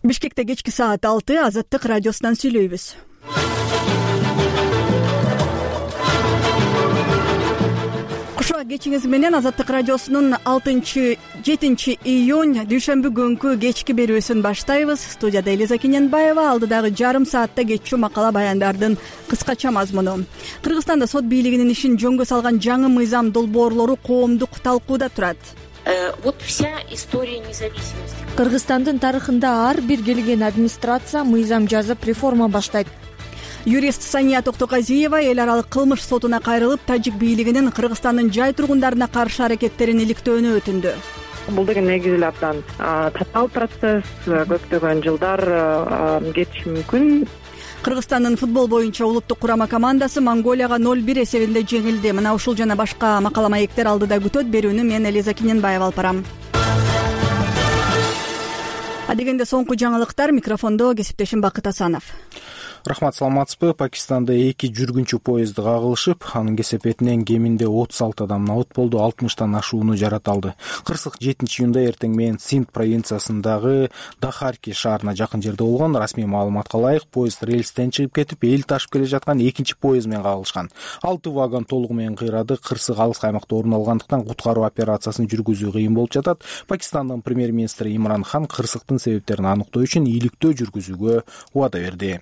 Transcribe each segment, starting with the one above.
Бишкекте кечки саат 6 Азаттык радиосунан сүйлөйбүз. Кушуа кечиңиз менен Азаттык радиосунун 7 июнь дүйшөмбү күнкү кечки берүүсүн баштайбыз. Студияда Элиза Кененбаева, алдыдагы жарым саатта кетчү макала баяндардын кыскача мазмуну. Кыргызстанда сот бийлигинин ишин жөнгө салган жаңы мыйзам долбоорлору коомдук талкууда турат. Вот вся история независимости. Кыргызстандын тарыхында ар бир келген администрация мыйзам жазып реформа баштайт. Юрист Сания Токтоказиева эл аралык кылмыш сотуна кайрылып, тажик бийлигинин Кыргызстандын жай тургундарына каршы аракеттерин иликтөөнү өтүндү. Бул деген негизи эле абдан татаал процесс, көптөгөн жылдар кетиши мүмкүн. Кыргызстандын футбол боюнча улуттук курама командасы Монголияга 0-1 эсебинде жеңилди. Мына ушул жана башка макала маектер алдыда күтөт. Берүүнү мен Элиза Кененбаева алып барам. Адегенде соңку жаңылыктар, микрофондо кесиптешим Бакыт Асанов. Рахмат, саламатсызбы? Пакистанда 2 жүргүнчү поезд кагылышып, анын кесепетинен кеминде 36 адам набыт болду, 60тан ашууну жараталды. Кырсык 7-июнда эртең менен Синд провинциясындагы Дахарки шаарына жакын жерде болгон. Расмий маалыматка ылайык, поезд рельстен чыгып кетип, эл ташып келе жаткан экинчи поезд менен кагылышкан. 6 вагон толугу менен кыйрады. Кырсык алыс аймакта орун алгандыктан куткаруу операциясын жүргүзүү кыйын болуп жатат. Пакистандын премьер-министри Имран Хан кырсыктын себептерин аныктоо үчүн иликтөө жүргүзүүгө убада берди.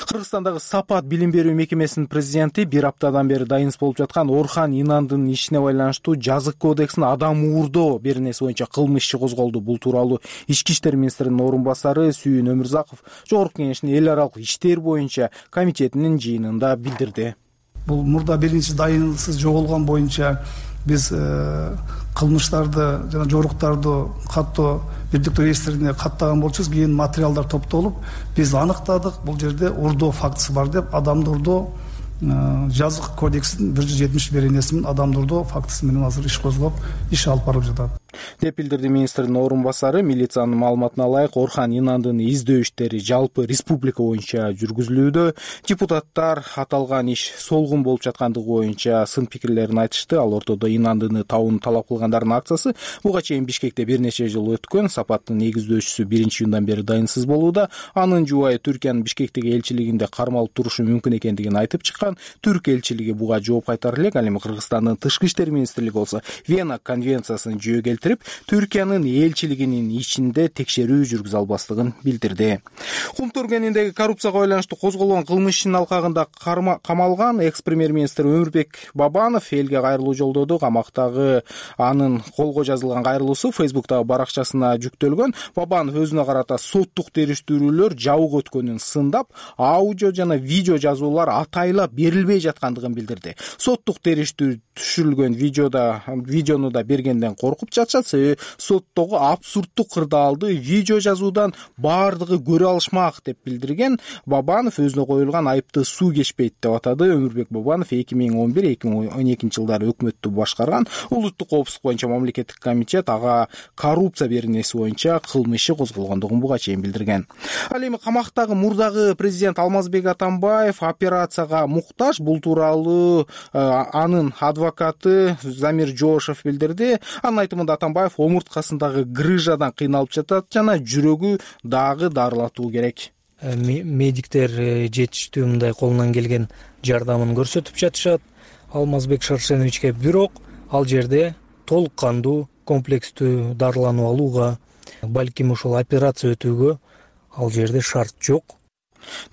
Кыргызстандагы Сапат билим берүү мекемесинин президенти бир аптадан бери дайынсыз болуп жаткан Орхан Инандын ишине байланыштуу жазык кодексин адам уурдоо беренеси боюнча кылмыш иши козголду. Бул тууралуу Ички иштер министринин орун басары Сүйүн Өмүрзаков Жогорку Кеңештин эл аралык иштер боюнча комитетинин жыйынында билдирди. Бул мурда биринчи дайынсыз жоголгон боюнча биз кылмыштарды жана жоруктарды каттоо бирдиктүү реестрине каттаган болчубуз. Кийин материалдар топтолуп биз аныктадык, бул жерде урдоо фактысы бар деп, адамды урдоо жазык кодексинин 170 беренеси менен адамды урдоо фактысы менен азыр иш козгоп, иш алып барып жатат деп билдирди министрдин орун басары. Милициянын маалыматына ылайык, Орхан Инандын издөө иштери жалпы республика боюнча жүргүзүлүүдө. Депутаттар аталган иш солгун болуп жаткандыгы боюнча сын пикирлерин айтышты. Ал ортодо Инандыны табууну талап кылгандардын акциясы буга чейин Бишкекте бир нече жыл өткөн. Сапаттын негиздөөчүсү 1-июндан бери дайынсыз болууда. Анын жубайы Түркиянын Бишкектеги элчилигинде кармалып турушу мүмкүн экендигин айтып чыккан. Түрк элчилиги буга жооп кайтара элек. Ал эми Кыргызстандын тышкы иштер министрлиги болсо Вена конвенциясын жүйө келтирип, Түркиянын элчилигинин ичинде текшерүү жүргүзө албастыгын билдирди. Кум Төргөниндеги коррупцияга байланыштуу козголгон кылмыш ишинин алкагында камалган экс-премьер-министр Өмүрбек Бабанов элге кайрылуу жолдоду. Камактагы анын колго жазылган кайрылуусу Фейсбуктагы баракчасына жүктөлгөн. Бабанов өзүнө карата соттук териштирүүлөр жабык өткөнүн сындап, аудио жана видео жазуулар атайлап берилбей жаткандыгын билдирди. Соттук териштирүү түшүрүлгөн видеону да бергенден коркуп жатышат. Себеби соттогу абсурдтук кырдаалды видео жазуудан баардыгы көрө алышмак деп билдирген Бабанов өзүнө коюлган айыпты суу кечпейт деп атады. Өмүрбек Бабанов 2011-2012 жылдары өкмөттү башкарган. Улуттук коопсуздук боюнча мамлекеттик комитет ага коррупция беренеси боюнча кылмыш иши козголгондугун буга чейин билдирген. Ал эми камактагы мурдагы президент Алмазбек Атамбаев операцияга муктаж. Бул тууралуу анын адвокаты Замир Жошев билдирди. Анын айтымында Атамбаев омурткасындагы грыжадан кыйналып жатат жана жүрөгү дагы дарылатуу керек. Медиктер жетиштүү мындай колунан келген жардамын көрсөтүп жатышат Алмазбек Шаршеновичке, бирок ал жерде толук кандуу комплекстүү дарылануу алууга, балким ошол операция өтүүгө ал жерде шарт жок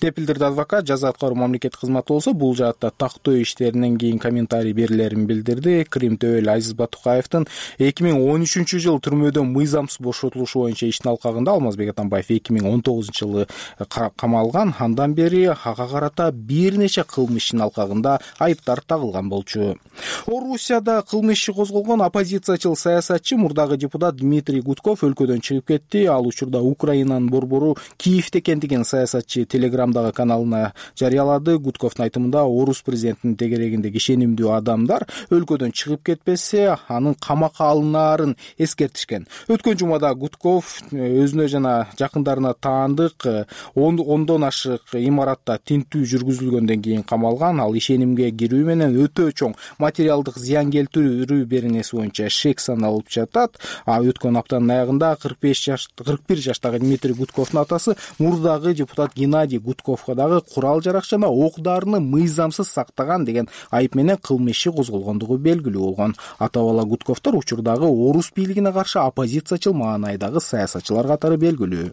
деп билдирди адвокат. Жаза аткаруу мамлекеттик кызматы болсо бул жаатта тактоо иштеринен кийин комментарий берилерин билдирди. Крим төбөл Азиз Батукаевдин 2013-жылы түрмөдөн мыйзамсыз бошотулушу боюнча иштин алкагында Алмазбек Атамбаев 2019-жылы камалган. Андан бери ага карата бир нече кылмыш ишинин алкагында айыптар тагылган болчу. Орусияда кылмыш иши козголгон оппозициячыл саясатчы мурдагы депутат Дмитрий Гудков өлкөдөн чыгып кетти. Ал учурда Украинанын борбору Киевде экендигин саясатчы Телеграмдагы каналына жарыялады. Гудковдун айтымында орус президентинин тегерегинде ишенимдүү адамдар өлкөдөн чыгып кетпесе, анын камакка алынаарын эскертишкен. Өткөн жумада Гудков өзүнө жана жакындарына таандык ондон ашык имаратта тинтүү жүргүзүлгөндөн кийин камалган. Ал ишенимге кирүү менен өтө чоң материалдык зыян келтирүү беренеси боюнча шек саналып жатат. Өткөн аптанын аягында 41 жаштагы Дмитрий Гудковдун атасы мурдагы депутат Геннадий Гудковго дагы курал жарак жана ок дарыны мыйзамсыз сактаган деген айып менен кылмыш иши козголгондугу белгилүү болгон. Ата-бала Гудковдор учурдагы орус бийлигине каршы оппозициячыл маанайдагы саясатчылар катары белгилүү.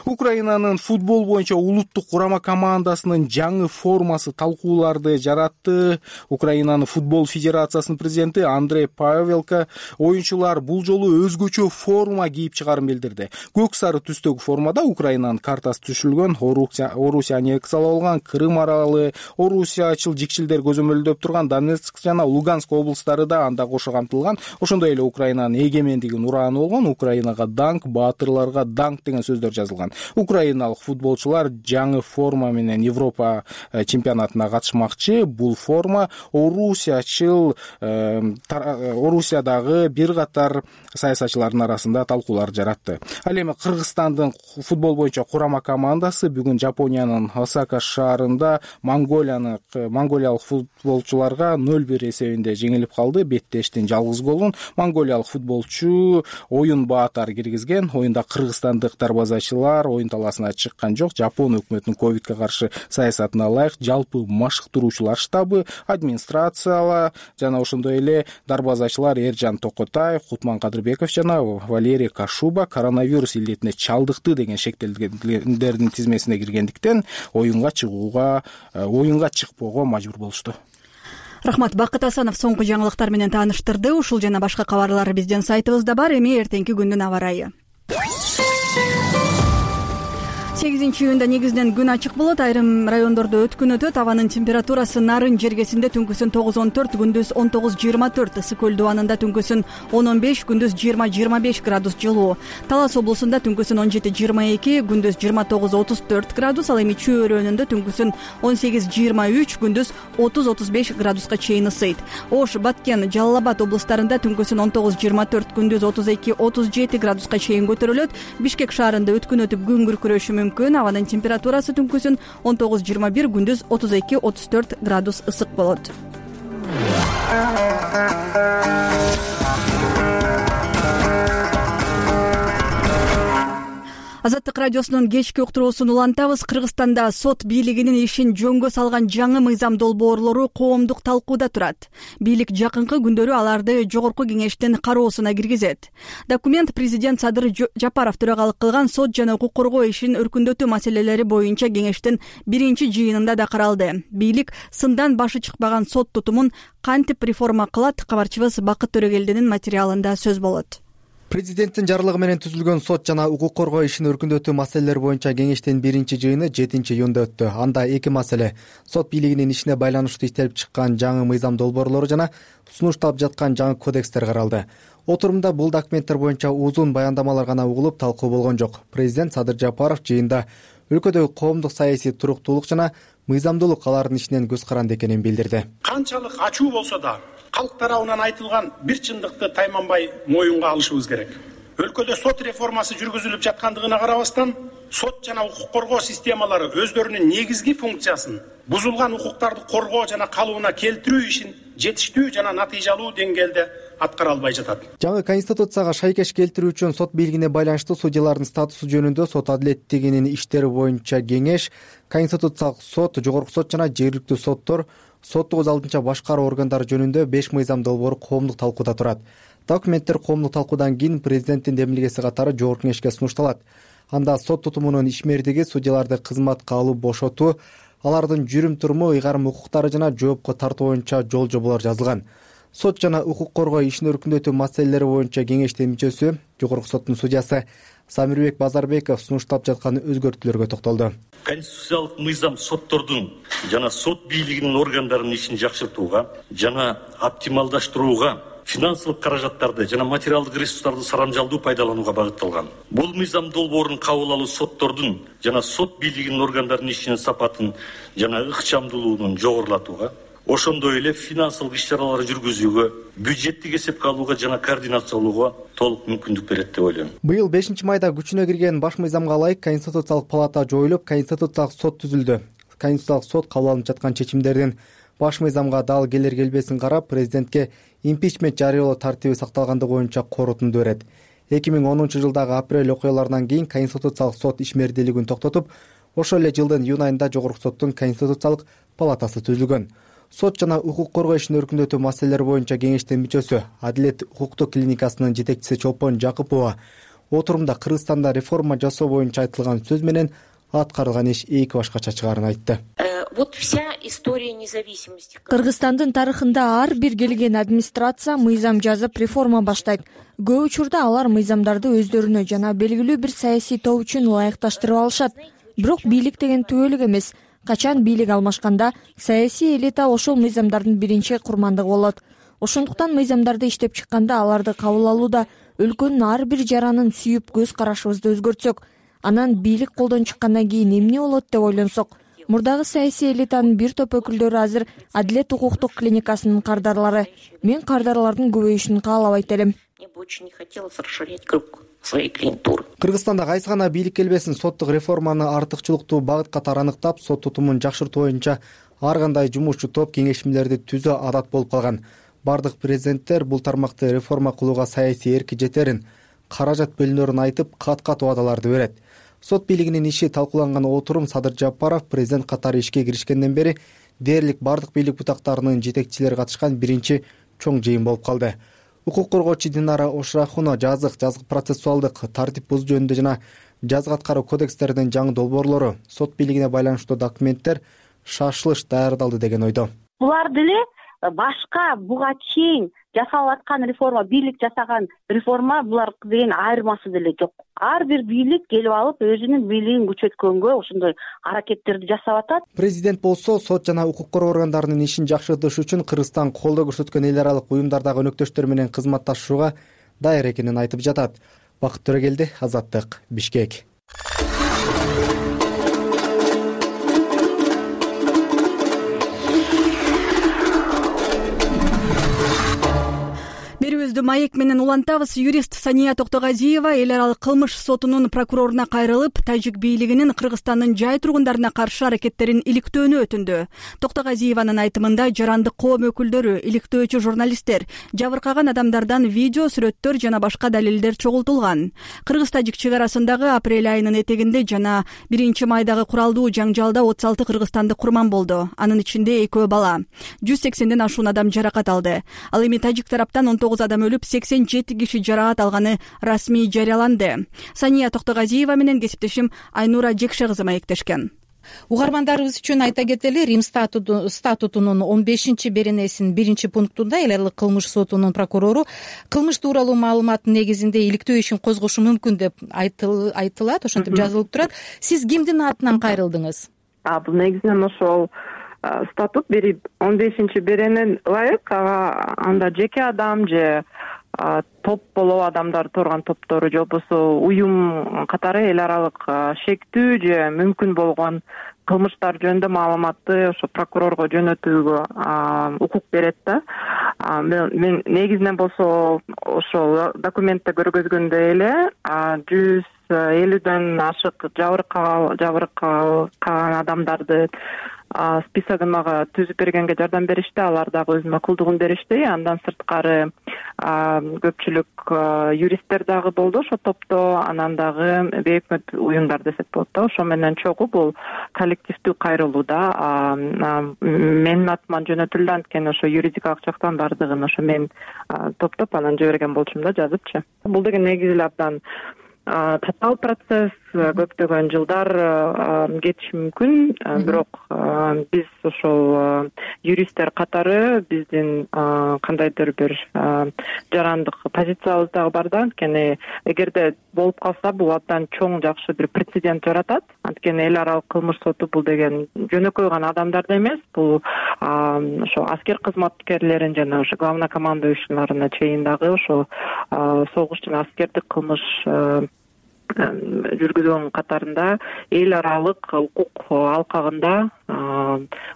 Украинанын футбол боюнча улуттук курама командасынын жаңы формасы талкууларды жаратты. Украинанын футбол федерациясынын президенти Андрей Павелко оюнчулар бул жолу өзгөчө форма кийип чыгарын билдирди. Көк сары түстөгү формада Украинанын картасы түшүлгөн, Орусия аннексиялап алган Крым аралы, Орусиячыл жикчилдер көзөмөлдөп турган Донецк жана Луганск облустары да анда кошо камтылган. Ошондой эле Украинанын эгемендигинин урааны болгон. Украинага данк, баатырларга данк деген сөздөр жазылган. Украиналык футболчулар жаңы форма менен Европа чемпионатына катышмакчы. Бул форма Орусиядагы бир катар саясатчылардын арасында талкуулар жаратты. Ал эми Кыргызстандын футбол боюнча курама командасы бүгүн Жапониянын Осака шаарында монголиялык футболчуларга 0-1 эсебинде жеңилип калды. Беттештин жалгыз голун монголиялык футболчу оюн баатар киргизген. Оюнда кыргызстандык дарбазачылар оюн талаасына чыккан жок. Жапон өкмөтүнүн ковидке каршы саясатына ылайык жалпы машыктыруучулар штабы, администрацияла жана ошондой эле дарбазачылар Эржан Токотаев, Кутман Кадырбеков жана Валерий Кашуба коронавирус илдетине чалдыкты деген шектелгендердин тизмесине киргендиктен оюнга чыкпоого мажбур болушту. Рахмат. Бакыт Асанов соңку жаңылыктар менен тааныштырды. Ушул жана башка кабарлар биздин сайтыбызда бар. Эми эртеңки күндүн аба ырайы. 8-июнда негизинен күн ачык болот. Айрым райондордо өткүн өтөт. Абанын температурасы Нарын жергесинде түнкүсүн 9-14, күндүз 19-24, Ысык көл дубанында түнкүсүн 10-15, күндүз 20-25 градус жылуу. Талас облусунда түнкүсүн 17-22, күндүз 29-34 градус, ал эми Чүй өрөөнүндө түнкүсүн 18-23, күндүз 30-35 градуска чейин ысыйт. Ош, Баткен, Жалал Абад облустарында түнкүсүн 19-24, күндүз 32-37 градуска чейин көтөрүлөт. Бишкек шаарында өткүн өтүп күн күркүрөшү мүмкүн. Абанын температурасы түнкүсүн 19-21, күндүз 32-34 градус ысык болот. Азаттык радиосунун кечки уктуруусун улантабыз. Кыргызстанда сот бийлигинин ишин жөнгө салган жаңы мыйзам долбоорлору коомдук талкууда турат. Бийлик жакынкы күндөрү аларды жогорку кеңештин кароосуна киргизет. Документ президент Садыр Жапаров төрагалык кылган сот жана укук коргоо ишин өркүндөтүү маселелери боюнча кеңештин биринчи жыйынында да каралды. Бийлик сындан башы чыкпаган сот тутумун кантип реформа кылат? Кабарчыбыз Бакыт Төрөгелдинин материалында сөз болот. Президенттин жарлыгы менен түзүлгөн сот жана укук коргоо ишин өркүндөтүү маселелери боюнча кеңештин биринчи жыйыны 7-июнда өттү. Анда эки маселе: сот бийлигинин ишине байланыштуу иштелип чыккан жаңы мыйзам долбоорлору жана сунушталып жаткан жаңы кодекстер каралды. Отурумда бул документтер боюнча узун баяндамалар гана угулуп, талкуу болгон жок. Президент Садыр Жапаров жыйында өлкөдөгү коомдук саясий туруктуулук жана мыйзамдуулук алардын ишинен көз каранды экенин билдирди. Канчалык ачуу болсо да калк тарабынан айтылган бир чындыкты тайманбай моюнга алышыбыз керек. Өлкөдө сот реформасы жүргүзүлүп жаткандыгына карабастан, сот жана укук коргоо системалары өздөрүнүн негизги функциясын, бузулган укуктарды коргоо жана калыбына келтирүү ишин жетиштүү жана натыйжалуу деңгээлде аткара албай жатат. Жаңы конституцияга шайкеш келтирүү үчүн сот бийлигине байланыштуу судьялардын статусу жөнүндө сот адилеттигинин иштери боюнча кеңеш, Конституциялык сот, жогорку сот жана жергиликтүү соттор, сотту өз алдынча башкаруу органдары жөнүндө 5 мыйзам долбоору коомдук талкууда турат. Документтер коомдук талкуудан кийин президенттин демилгеси катары жогорку кеңешке сунушталат. Анда сот тутумунун ишмердиги, судьяларды кызматка алып бошотуу, алардын жүрүм-туруму, ыйгарым укуктары жана жоопко тартуу боюнча жол жоболор жазылган. Сот жана укук коргоо ишин өркүндөтүү маселелери боюнча кеңештин мүчөсү, жогорку соттун судьясы Самирбек Базарбеков сунушталып жаткан өзгөртүүлөргө токтолду. Конституциялык мыйзам соттордун жана сот бийлигинин органдарынын ишин жакшыртууга жана оптималдаштырууга финансылык каражаттарды жана материалдык ресурстарды сарамжалдуу пайдаланууга багытталган. Бул мыйзам долбоорун кабыл алуу соттордун жана сот бийлигинин органдарынын ишинин сапатын жана ыкчамдуулугун жогорулатууга, ошондой эле финансылык иш-чараларды жүргүзүүгө, бюджеттик эсепке алууга жана координациялоого толук мүмкүндүк берет деп ойлойм. Быйыл 5-майда күчүнө кирген баш мыйзамга ылайык Конституциялык палата жоюлуп, Конституциялык сот түзүлдү. Конституциялык сот кабыл алынып жаткан чечимдердин баш мыйзамга дал келер-келбесин карап, президентке импичмент жарыялоо тартиби сакталгандыгы боюнча корутунду берет. 2010-жылдагы апрель окуяларынан кийин Конституциялык сот ишмердүүлүгүн токтотуп, ошол эле жылдын июнь айында Жогорку соттун Конституциялык палатасы түзүлгөн. Сот жана укук коргоо ишин өркүндөтүү маселелери боюнча кеңештин мүчөсү, Адилет укуктук клиникасынын жетекчиси Чолпон Жакупова отурумда Кыргызстанда реформа жасоо боюнча айтылган сөз менен аткарылган иш эки башкача чыгаарын айтты. Вот вся история независимости. Кыргызстандын тарыхында ар бир келген администрация мыйзам жазып реформа баштайт. Көп учурда алар мыйзамдарды өздөрүнө жана белгилүү бир саясий топ үчүн ылайыкташтырып алышат. Бирок бийлик деген түбөлүк эмес. Качан бийлик алмашканда саясий элита ошол мыйзамдардын биринчи курмандыгы болот. Ошондуктан мыйзамдарды иштеп чыкканда аларды кабыл алууда өлкөнүн ар бир жаранын сүйүп көз карашыбызды өзгөртсөк, анан бийлик колдон чыккандан кийин эмне болот деп ойлонсок, мурдагы саясий элитанын бир топ өкүлдөрү азыр Адилет укуктук клиникасынын кардарлары. Мен кардарлардын көбөйүшүн каалабайт элем. Мне бы очень не хотелось расширять круг своей клиентуры. Кыргызстанда кайсы гана бийлик келбесин соттук реформаны артыкчылыктуу багыт катары аныктап, сот тутумун жакшыртуу боюнча ар кандай жумушчу топ кеңешмелерди түзүү адат болуп калган. Бардык президенттер бул тармакты реформа кылууга саясий эрки жетерин, каражат бөлүнөрүн айтып, кат-кат убадаларды берет. Сот бийлигинин иши талкууланган отурум Садыр Жапаров президент катары ишке киришкенден бери дээрлик бардык бийлик бутактарынын жетекчилери катышкан биринчи чоң жыйын болуп калды. Укук коргоочу Динара Ошрахуна жазык процессуалдык тартип бузуу жөнүндө жана жазык аткаруу кодекстердин жаңы долбоорлору, сот бийлигине байланыштуу документтер шашылыш даярдалды деген ойдо. Булар деле башка буга чейин жасалып аткан реформа, бийлик жасаган реформа, булар деген айырмасы деле жок. Ар бир бийлик келип алып өзүнүн бийлигин күчөткөнгө ошондой аракеттерди жасап атат. Президент болсо сот жана укук коргоо органдарынын ишин жакшыртыш үчүн Кыргызстан колдоо көрсөткөн эл аралык уюмдардагы өнөктөштөр менен кызматташууга даяр экенин айтып жатат. Бакыт Төрөгелди, Азаттык, Бишкек. Маек менен улантабыз. Юрист Сания Токтогазиева эл аралык кылмыш сотунун прокуроруна кайрылып, тажик бийлигинин Кыргызстандын жай тургундарына каршы аракеттерин иликтөөнү өтүндү. Токтогазиеванын айтымында жарандык коом өкүлдөрү, иликтөөчү журналисттер, жабыркаган адамдардан видео, сүрөттөр жана башка далилдер чогултулган. Кыргыз-тажик чек арасындагы апрель айынын этегинде жана 1-майдагы куралдуу жаңжалда 36 кыргызстандык курман болду. Анын ичинде 2 бала. 180ден ашуун адам жаракат алды. Ал эми тажик тараптан 19 адам өлүп, 87 киши жаракат алганы расмий жарыяланды. Сания Токтогазиева менен кесиптешим Айнура Жекше кызы маектешкен. Угармандарыбыз үчүн айта кетели, Рим статутунун 15-беренесинин 1-пунктунда эл аралык кылмыш сотунун прокурору кылмыш тууралуу маалыматтын негизинде иликтөө ишин козгошу мүмкүн деп айтылат, ошентип жазылып турат. Сиз кимдин атынан кайрылдыңыз? Бул негизинен ошол статут 15-беренен ылайык, анда жеке адам же топ болобу адамдар турган топтору же болбосо уюм катары эл аралык шектүү же мүмкүн болгон кылмыштар жөнүндө маалыматты ошо прокурорго жөнөтүүгө укук берет да. Мен негизинен болсо ошол документте көргөзгөндөй эле 150ден ашык жабыркаган адамдарды списогун мага түзүп бергенге жардам беришти. Алар дагы өзүнүн макулдугун беришти. Андан сырткары көпчүлүк юристтер дагы болду ошо топто, анан дагы бейөкмөт уюмдар десек болот да. Ошо менен чогуу бул коллективдүү кайрылуу да. Менин атыман жөнөтүлдү, анткени ошо юридикалык жактан бардыгын ошо мен топтоп анан жиберген болчумун да, жазыпчы. Бул деген негизи эле абдан татаал процесс, көптөгөн жылдар кетиши мүмкүн, бирок биз ошол юристтер катары биздин кандайдыр бир жарандык позициябыз дагы бар да, анткени эгерде болуп калса бул абдан чоң жакшы бир прецедент жаратат. анткени эл аралык кылмыш соту бул деген жөнөкөй гана адамдарды эмес, бул ошо аскер кызматкерлерин жана ошо главнокомандующийларына чейин дагы ошо согуш жана аскердик кылмыш жүргүзгөн катарында эл аралык укук алкагында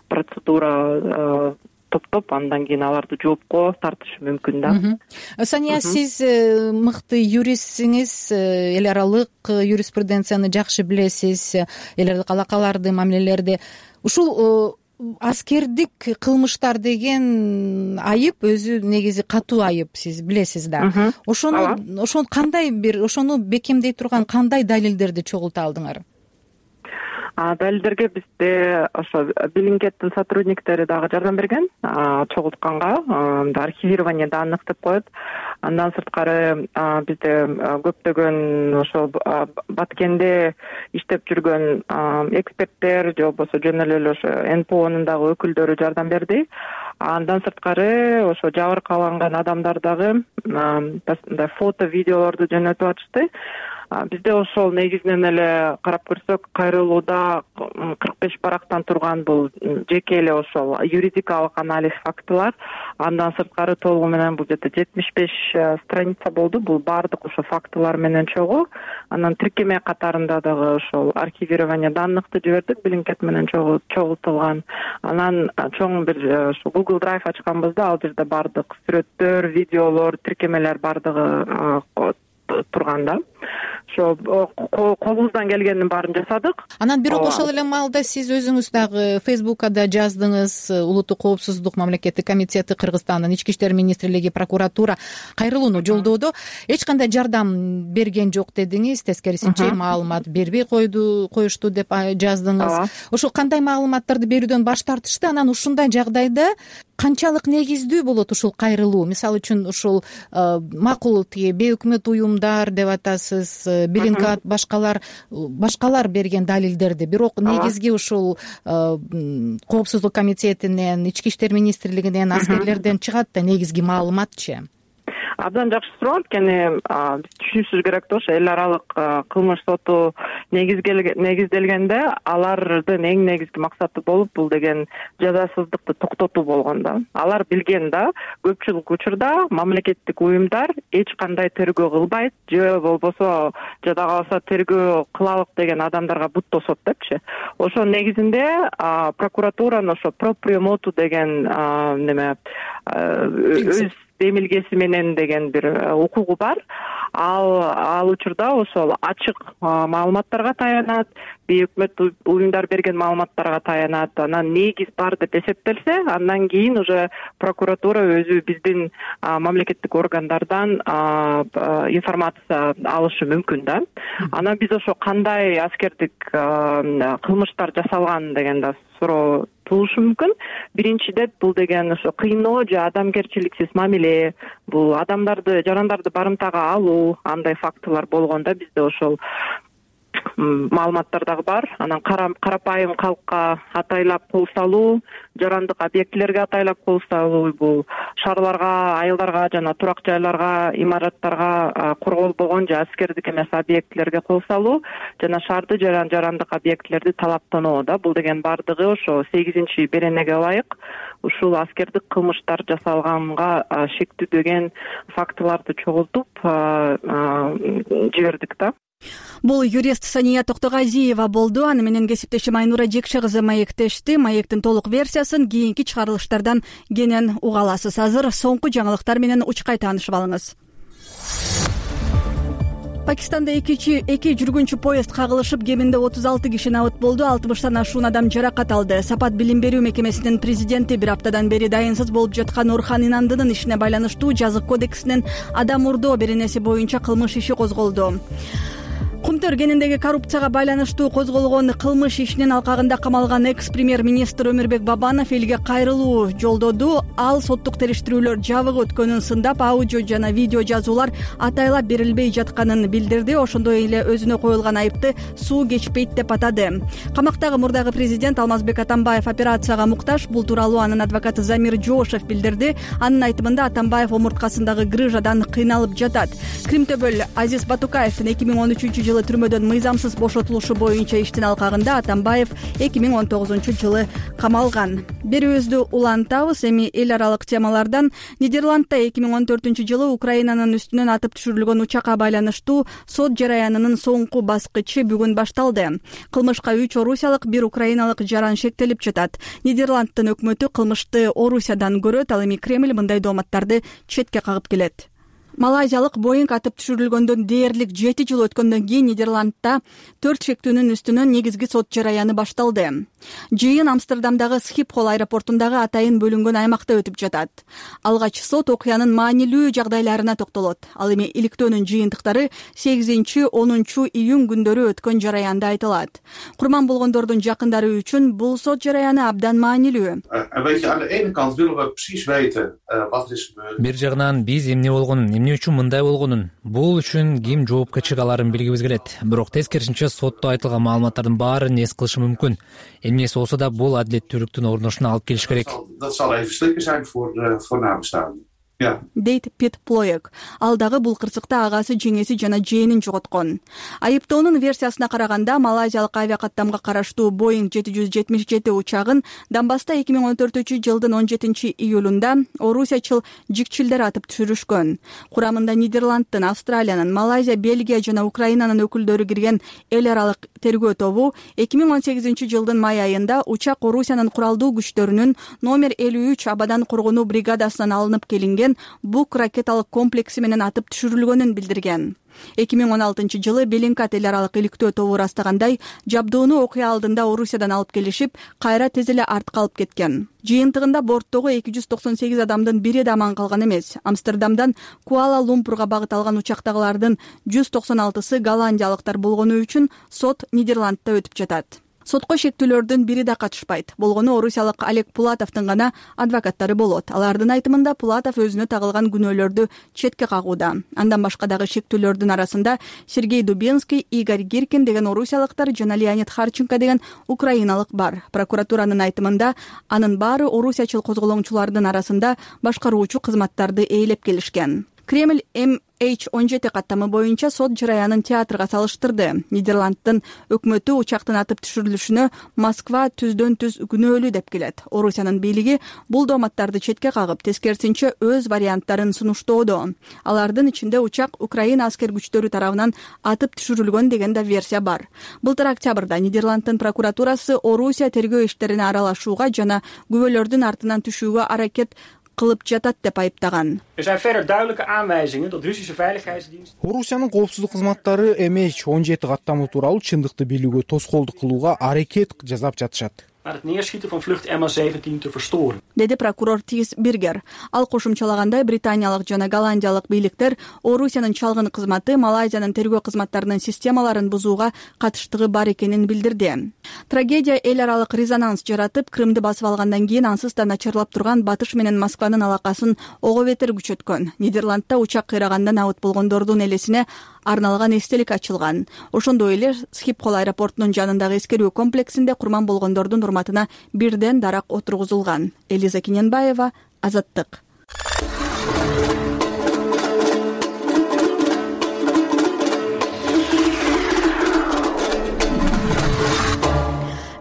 процедура топтоп андан кийин аларды жоопко тартышы мүмкүн да. Сания, сиз мыкты юристсиңиз, эл аралык юриспруденцияны жакшы билесиз, эл аралык алакаларды, мамилелерди. Ушул аскердик кылмыштар деген айып өзү негизи катуу айып, сиз билесиз да. Ошону кандай ошону бекемдей турган кандай далилдерди чогулта алдыңар? Далилдерге бизде ошо Bellingcat сотрудниктери дагы жардам берген, чогултканга, архивирование данных деп коет. Андан сырткары бизде көптөгөн ошо Баткенде иштеп жүргөн эксперттер же болбосо жөн эле ошо НПОнун дагы өкүлдөрү жардам берди. Андан сырткары ошо жабыркаланган адамдар дагы фото, видеолорду жөнөтүп атышты. Бизде ошол негизинен эле карап көрсөк, кайрылууда 45 барактан турган бул жеке эле ошол юридикалык анализ фактылар. Андан сырткары толугу менен бул жерде 75 страница болду. Бул баардык ошо фактылар менен чогуу. Анан тиркеме катарында дагы ошол архивирование данныхты жибердик, Bellingcat менен чогултулган. Анан чоң бир ошо Google Drive ачканбыз да, ал жерде баардык сүрөттөр, видеолор, тиркемелер баардыгы турганда. Ошо колубуздан келгенин баарын жасадык. Анан бирок ошол эле маалда сиз өзүңүз дагы Facebook'да жаздыңыз, Улуттук коопсуздук мамлекеттик комитети, Кыргызстандын ички иштер министрлиги, прокуратура кайрылууну жолдоодо эч кандай жардам берген жок дедиңиз, тескерисинче маалымат бербей коюшту деп жаздыңыз. Ошол кандай маалыматтарды берүүдөн баш тартышты? Анан ушундай жагдайда канчалык негиздүү болот ушул кайрылуу? Мисалы үчүн ушул макул бейөкмөт уюмдар деп атасыз, Bellingcat, башкалар берген далилдерди, бирок негизги ушул коопсуздук комитетинен, ички иштер министрлигинен, аскерлерден чыгат да негизги маалыматчы. Абдан жакшы суроо, анткени биз түшүнүшүбүз керек да, ошо эл аралык кылмыш соту негизделгенде алардын эң негизги максаты болуп бул деген жазасыздыкты токтотуу болгон да. Алар билген да, көпчүлүк учурда мамлекеттик уюмдар эч кандай тергөө кылбайт, же болбосо жада калса тергөө кылалык деген адамдарга бут тосот депчи. Ошо негизинде прокуратуранын ошо пропrio motu деген өз демилгеси менен деген бир укугу бар. Ал учурда ошол ачык маалыматтарга таянат, бейөкмөт уюмдар берген маалыматтарга таянат. Анан негиз бар деп эсептелсе, андан кийин уже прокуратура өзү биздин мамлекеттик органдардан информация алышы мүмкүн да. Анан биз ошо кандай аскердик кылмыштар жасалган деген да суроо туулушу мүмкүн. Биринчиден бул деген ошо кыйноо же адамгерчиликсиз мамиле, бул адамдарды, жарандарды барымтага алуу, андай фактылар болгондо бизде ошол маалыматтар дагы бар. Анан карапайым калкка атайлап кол салуу, жарандык объектилерге атайлап кол салуу, бул шаарларга, айылдарга жана турак жайларга, имараттарга корголбогон же аскердик эмес объектилерге кол салуу жана шаарды жарандык объектилерди талаптануу да. Бул деген баардыгы ошо 8 беренеге ылайык ушул аскердик кылмыштар жасалганга шектүү деген фактыларды чогултуп жибердик да. Бул юрист Сания Токтогазиева болду. Аны менен кесиптешим Айнура Жекше кызы маектешти. Маектин толук версиясын кийинки чыгарылыштардан кенен уга аласыз. Азыр соңку жаңылыктар менен учкай таанышып алыңыз. Пакистанда эки жүргүнчү поезд кагылышып, кеминде 36 киши набыт болду. 60тан ашуун адам жаракат алды. Сапат билим берүү мекемесинин президенти бир аптадан бери дайынсыз болуп жаткан Орхан Инандынын ишине байланыштуу жазык кодексинин адам урдоо беренеси боюнча кылмыш иши козголду. Кумтөр кениндеги коррупцияга байланыштуу козголгон кылмыш ишинин алкагында камалган экс-премьер-министр Өмүрбек Бабанов элге кайрылуу жолдоду. Ал соттук териштирүүлөр жабык өткөнүн сындап, аудио жана видео жазуулар атайлап берилбей жатканын билдирди. Ошондой эле өзүнө коюлган айыпты суу кечпейт деп атады. Камактагы мурдагы президент Алмазбек Атамбаев операцияга муктаж. Бул тууралуу анын адвокаты Замир Жошев билдирди. Анын айтымында Атамбаев омурткасындагы грыжадан кыйналып жатат. Кримтөбөл Азиз Батукаевдин 2013-жылы түрмөдөн мыйзамсыз бошотулушу боюнча иштин алкагында Атамбаев 2019-жылы камалган. Берүүбүздү улантабыз. Эми эл аралык темалардан Нидерландда 2014-жылы Украинанын үстүнөн атып түшүрүлгөн учакка байланыштуу сот жараянынын соңку баскычы бүгүн башталды. Кылмышка 3 орусиялык, 1 украиналык жаран шектелип жатат. Нидерланддын өкмөтү кылмышты Орусиядан көрөт, ал эми Кремль мындай дооматтарды четке кагып келет. Малайзиялык Боинг атып түшүрүлгөндөн дээрлик 7 жыл өткөндөн кийин Нидерландда 4 шектүүнүн үстүнөн негизги сот жараяны башталды. Жыйын Амстердамдагы Схипхол аэропортундагы атайын бөлүнгөн аймакта өтүп жатат. Алгач сот окуянын маанилүү жагдайларына токтолот. Ал эми иликтөөнүн жыйынтыктары 8-10 июнь күндөрү өткөн жараянда айтылат. Курман болгондордун жакындары үчүн бул сот жараяны абдан маанилүү. Бир жагынан биз эмне болгонун, эмне үчүн мындай болгонун, бул үчүн ким жоопкерчилик аларын билгибиз келет. Бирок тескерисинче сотто айтылган маалыматтардын баарын эс кылышы мүмкүн. Эмнеси болсо да бул адилеттүүлүктүн орношуна алып келиш керек. Дейт Пит Плоек. Ал дагы бул кырсыкта агасы, жеңеси жана жээнин жоготкон. Айыптоонун версиясына караганда, малайзиялык авиакаттамга караштуу Боинг 777 учагын Донбасста 2014-жылдын 17-июлунда орусиячыл жикчилдер атып түшүрүшкөн. Курамында Нидерланддын, Австралиянын, Малайзия, Бельгия жана Украинанын өкүлдөрү кирген эл аралык тергөө тобу 2018-жылдын май айында учак Орусиянын куралдуу күчтөрүнүн номер 53 абадан коргонуу бригадасынан алынып келинген Бук ракеталык комплекси менен атып түшүрүлгөнүн билдирген. 2016-жылы Белинкат эл аралык иликтөө тобу ырастагандай, жабдууну окуя алдында Орусиядан алып келишип, кайра тез эле артка алып кеткен. Жыйынтыгында борттогу 298 адамдын бири да аман калган эмес. Амстердамдан Куала-Лумпурга багыт алган учактагылардын 196-сы голландиялыктар болгону үчүн сот Нидерландда өтүп жатат. Сотко шектүүлөрдүн бири да катышпайт. Болгону орусиялык Олег Пулатовдун гана адвокаттары болот. Алардын айтымында Пулатов өзүнө тагылган күнөөлөрдү четке кагууда. Андан башка дагы шектүүлөрдүн арасында Сергей Дубенский, Игорь Гиркин деген орусиялыктар жана Леонид Харченко деген украиналык бар. Прокуратуранын айтымында анын баары орусиячыл козголоңчулардын арасында башкаруучу кызматтарды ээлеп келишкен. Кремль MH17 каттамы боюнча сот жараянын театрга салыштырды. Нидерланддын өкмөтү учактын атып түшүрүлүшүнө Москва түздөн-түз күнөөлүү деп келет. Орусиянын бийлиги бул дооматтарды четке кагып, тескерисинче өз варианттарын сунуштоодо. Алардын ичинде учак Украина аскер күчтөрү тарабынан атып түшүрүлгөн деген да версия бар. Былтыр октябрда Нидерланддын прокуратурасы Орусия тергөө иштерине аралашууга жана күбөлөрдүн артынан түшүүгө аракет кылып жатат деп айыптаган. Орусиянын коопсуздук кызматтары MH17 каттамы тууралуу чындыкты билүүгө тоскоолдук кылууга аракет жасап жатышат. Деди прокурор Тис Биргер. Ал кошумчалагандай, британиялык жана голландиялык бийликтер Орусиянын чалгын кызматы Малайзиянын тергөө кызматтарынын системаларын бузууга катыштыгы бар экенин билдирди. Трагедия эл аралык резонанс жаратып, Крымды басып алгандан кийин ансыз да начарлап турган Батыш менен Москванын алакасын ого бетер күчөткөн. Нидерландда учак кыйрагандан абыт болгондордун элесине арналган эстелик ачылган. Ошондой эле Схипхол аэропортунун жанындагы эскерүү комплексинде курман болгондордун урматына бирден дарак отургузулган. Элиза Киненбаева, Азаттык.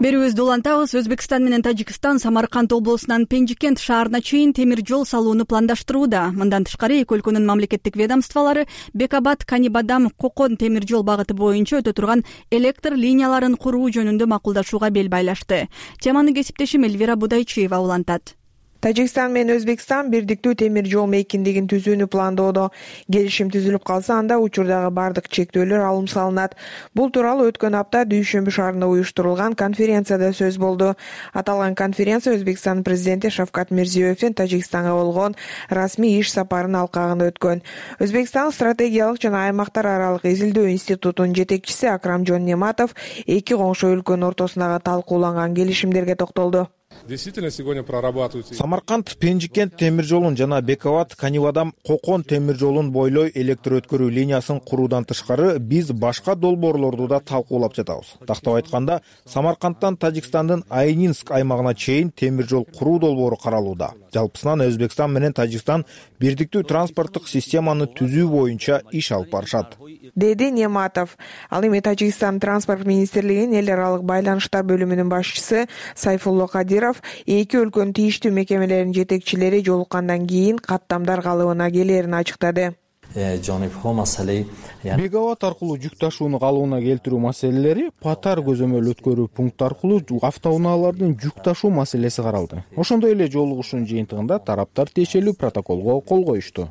Берүүбүздү улантабыз. Өзбекстан менен Тажикстан Самарканд облусунан Пенжикент шаарына чейин темир жол салууну пландаштырууда. Мындан тышкары эки өлкөнүн мамлекеттик ведомстволору Бекабад, Канибадам, Кокон темир жол багыты боюнча өтө турган электр линияларын куруу жөнүндө макулдашууга бел байлашты. Теманы кесиптешим Эльвира Будайчиева улантат. Тажикстан менен Өзбекстан бирдиктүү темир жол мейкиндигин түзүүнү пландоодо. Келишим түзүлүп калса, анда учурдагы бардык чектөөлөр алым салынат. Бул тууралуу өткөн апта Дүйшөмбү шаарында уюштурулган конференцияда сөз болду. Аталган конференция Өзбекстан президенти Шавкат Мирзиёевдин Тажикстанга болгон расмий иш сапарынын алкагында өткөн. Өзбекстан стратегиялык жана аймактар аралык изилдөө институтунун жетекчиси Акрамжон Нематов эки коңшу өлкөнүн ортосундагы талкууланган келишимдерге токтолду. Действительно сегодня прорабатываются. Самарканд Пенжикент темир жолун жана Бековат Канивадам Кокон темир жолун бойлой электр өткөрүү линиясын куруудан тышкары биз башка долбоорлорду да талкуулап жатабыз. Тактап айтканда, Самаркандтан Тажикстандын Айнинск аймагына чейин темир жол куруу долбоору каралууда. Жалпысынан Өзбекстан менен Тажикстан бирдиктүү транспорттук системаны түзүү боюнча иш алып барышат, деди Нематов. Ал эми Тажикстан транспорт министрлигинин эл аралык байланыштар бөлүмүнүн башчысы Сайфулло Кадиров эки өлкөнүн тийиштүү мекемелеринин жетекчилери жолуккандан кийин каттамдар калыбына келерин ачыктады. Беговат аркылуу жүк ташууну калыбына келтирүү маселелери, Патар көзөмөл өткөрүү пункт аркылуу автоунаалардын жүк ташуу маселеси каралды. Ошондой эле жолугушуунун жыйынтыгында тараптар тиешелүү протоколго кол коюшту,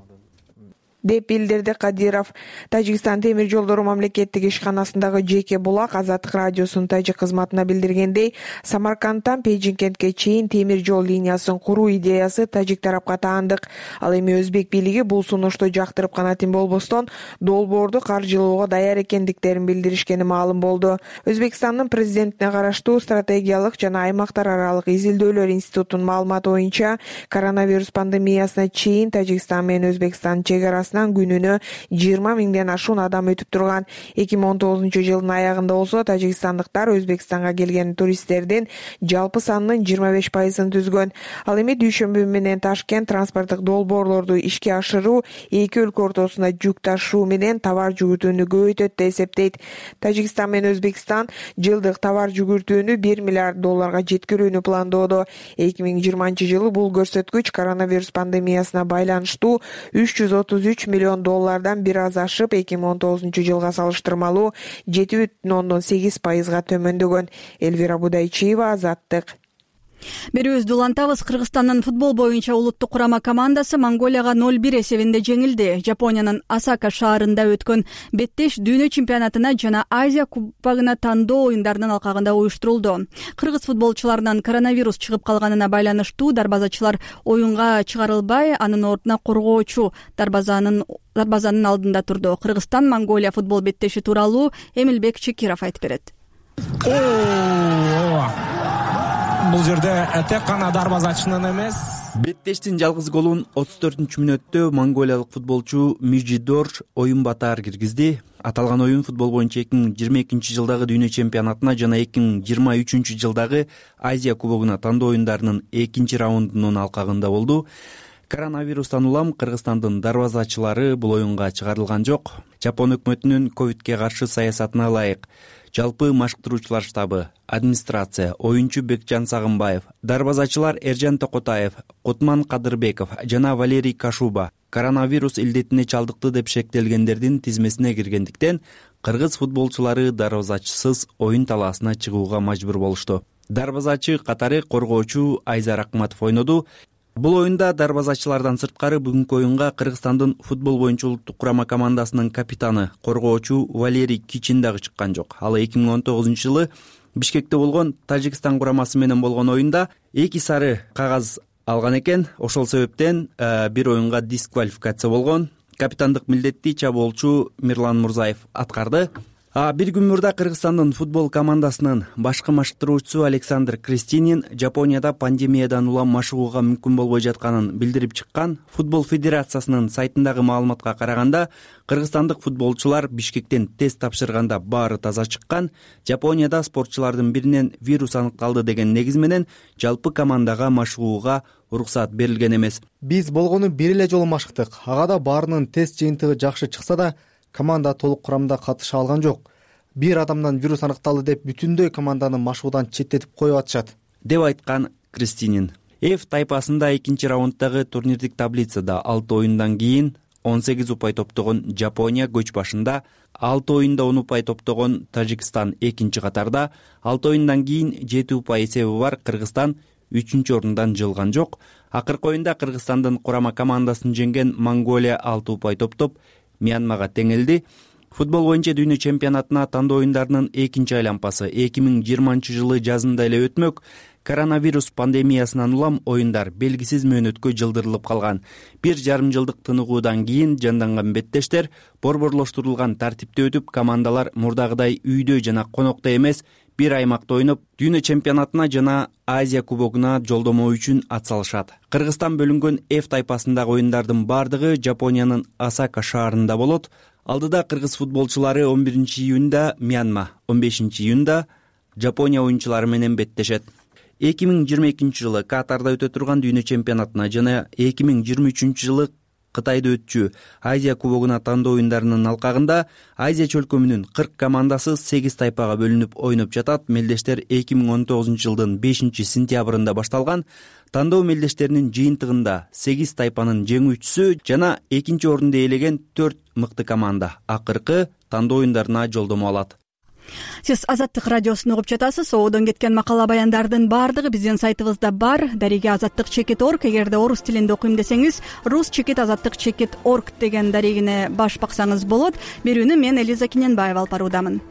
деп билдирди Кадиров. Тажикстан темир жолдору мамлекеттик ишканасындагы жеке булак Азаттык радиосунун тажик кызматына билдиргендей, Самаркандтан Пенжикентке чейин темир жол линиясын куруу идеясы тажик тарапка таандык. Ал эми өзбек бийлиги бул сунушту жактырып гана тим болбостон, долбоорду каржылоого даяр экендиктерин билдиришкени маалым болду. Өзбекстандын президентине караштуу стратегиялык жана аймактар аралык изилдөөлөр институтунун маалыматы боюнча, коронавирус пандемиясына чейин Тажикстан менен Өзбекстан чек арасынан күнүнө 20 миңден ашуун адам өтүп турган. 2019 жылдын аягында болсо тажикстандыктар Өзбекстанга келген туристтердин жалпы санынын 25%-ын түзгөн. Ал эми дүйшөмбү менен Ташкент транспорттук долбоорлорду ишке ашыруу эки өлкө ортосунда жүк ташуу менен товар жүгүртүүнү көбөйтөт деп эсептейт. Тажикстан менен Өзбекстан жылдык товар жүгүртүүнү $1 миллиард жеткирүүнү пландоодо. 2020 жылы бул көрсөткүч коронавирус пандемиясына байланыштуу $333 миллион бир аз ашып, 2019 жылга салыштырмалуу 7,8%га төмөндөгөн. Элвира Будайчиева, Азаттык. Берүүбүздү улантабыз. Кыргызстандын футбол боюнча улуттук курама командасы Монголияга 0-1 эсебинде жеңилди. Жапониянын Осака шаарында өткөн беттеш дүйнө чемпионатына жана Азия кубогуна тандоо оюндарынын алкагында уюштурулду. Кыргыз футболчуларынан коронавирус чыгып калганына байланыштуу дарбазачылар оюнга чыгарылбай, анын ордуна коргоочу дарбазанын алдында турду. Кыргызстан Монголия футбол беттеши тууралуу Эмилбек Чекиров айтып берет. Бул жерде тек гана дарбазачынын эмес, беттештин жалгыз голун 34-мүнөттө монголиялык футболчу Мижидор оюн батаар киргизди. Аталган оюн футбол боюнча 2022 жылдагы дүйнө чемпионатына жана 2023 жылдагы Азия кубогуна тандоо оюндарынын экинчи раундунун алкагында болду. Коронавирустан улам Кыргызстандын дарбазачылары бул оюнга чыгарылган жок. Жапон өкмөтүнүн ковидке каршы саясатына ылайык жалпы машыктыруучулар штабы, администрация, оюнчу Бекжан Сагынбаев, дарбазачылар Эржан Токотаев, Кутман Кадырбеков жана Валерий Кашуба коронавирус илдетине чалдыкты деп шектелгендердин тизмесине киргендиктен кыргыз футболчулары дарбазачысыз оюн талаасына чыгууга мажбур болушту. Дарбазачы катары коргоочу Айзар Акматов ойноду. Бул оюнда дарбазачылардан сырткары бүгүнкү оюнга Кыргызстандын футбол боюнча улуттук курама командасынын капитаны, коргоочу Валерий Кичин дагы чыккан жок. Ал 2019 жылы Бишкекте болгон Тажикстан курамасы менен болгон оюнда 2 сары кагаз алган экен. Ошол себептен бир оюнга дисквалификация болгон. Капитандык милдетти чабоолчу Мирлан Мурзаев аткарды. Бир күн мурда Кыргызстандын футбол командасынын башкы машыктыруучусу Александр Кристинин Жапонияда пандемиядан улам машыгууга мүмкүн болбой жатканын билдирип чыккан. Футбол федерациясынын сайтындагы маалыматка караганда, кыргызстандык футболчулар Бишкектен тест тапшырганда баары таза чыккан. Жапонияда спортчулардын биринен вирус аныкталды деген негиз менен жалпы командага машыгууга уруксат берилген эмес. Биз болгону бир эле жолу машыктык. Ага да баарынын тест жыйынтыгы жакшы чыкса да, команда толук курамда катыша алган жок. Бир адамдан вирус аныкталды деп бүтүндөй команданы машыгуудан четтетип коюп атышат, деп айткан Кристинин. F тайпасында экинчи раунддагы турнирдик таблицада 6 оюндан кийин 18 упай топтогон Жапония көч башында, 6 оюнда 10 упай топтогон Тажикстан экинчи катарда, 6 оюндан кийин 7 упай эсеби бар Кыргызстан 3-чү орундан жылган жок. Акыркы оюнда Кыргызстандын курама командасын жеңген Монголия 6 упай топтоп Мьянмага теңелди. Футбол боюнча дүйнө чемпионатына тандоо оюндарынын экинчи айлампасы 2020 жылы жазында эле өтмөк. Коронавирус пандемиясынан улам оюндар белгисиз мөөнөткө жылдырылып калган. 1,5 жылдык тыныгуудан кийин жанданган беттештер борборлоштурулган тартипте өтүп, командалар мурдагыдай үйдө жана конокто эмес, бир аймакта ойноп дүйнө чемпионатына жана Азия кубогуна жолдомо үчүн ат салышат. Кыргызстан бөлүнгөн F тайпасындагы оюндардын бардыгы Жапониянын Осака шаарында болот. Алдыда кыргыз футболчулары 11-июнда Мьянма, 15-июнда Жапония оюнчулары менен беттешет. 2022-жылы Катарда өтө турган дүйнө чемпионатына жана 2023-жылы Кытайда өтчү Азия кубогуна тандоо оюндарынын алкагында Азия чөлкөмүнүн 40 командасы 8 тайпага бөлүнүп ойноп жатат. Мелдештер 2019-жылдын 5-сентябрында башталган. Тандоо мелдештеринин жыйынтыгында 8 тайпанын жеңүүчүсү жана 2-орунду ээлеген 4 мыкты команда акыркы тандоо оюндарына жолдомо алат. Сиз Азаттык радиосун угуп жатасыз. Оодон кеткен макала баяндардын баардыгы биздин сайтыбызда бар. Дареге azаттык.org. Эгерде орус тилинде окуйм десеңиз, rus-azаттык.org деген дарегине баш баксаңыз болот. Берүүнү мен Элиза Кененбаева алып баруудамын.